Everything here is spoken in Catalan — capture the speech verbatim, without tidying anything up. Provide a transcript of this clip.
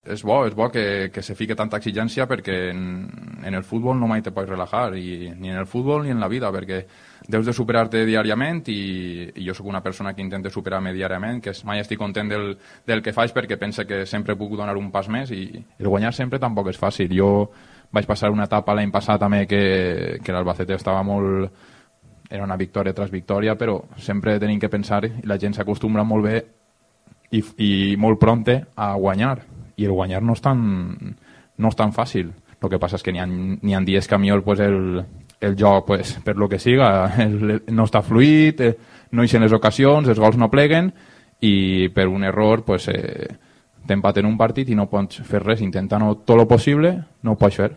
és bo, és bo que, que se fique tanta exigència perquè en, en el futbol no mai te pots relajar, i, ni en el futbol ni en la vida, perquè deus de superar-te diàriament i, i jo sóc una persona que intenta superar-me diàriament, que mai estic content del, del que faig perquè pense que sempre puc donar un pas més, i el guanyar sempre tampoc és fàcil. Jo vaig passar una etapa l'any passat també que, que l'Albacete estava molt... era una victòria tras victòria, però sempre tenim que pensar, i la gent s'acostumbra molt bé i, i molt prompte a guanyar, i el guanyar no és tan, no és tan fàcil. El que passa és que n'hi ha, n'hi ha dies que a millor pues, el, el joc, pues, per lo que siga, el, no està fluid, eh, no hi ha les ocasions, els gols no pleguen, i per un error pues, eh, t'empaten un partit i no pots fer res, intentant tot el possible, no ho pots fer.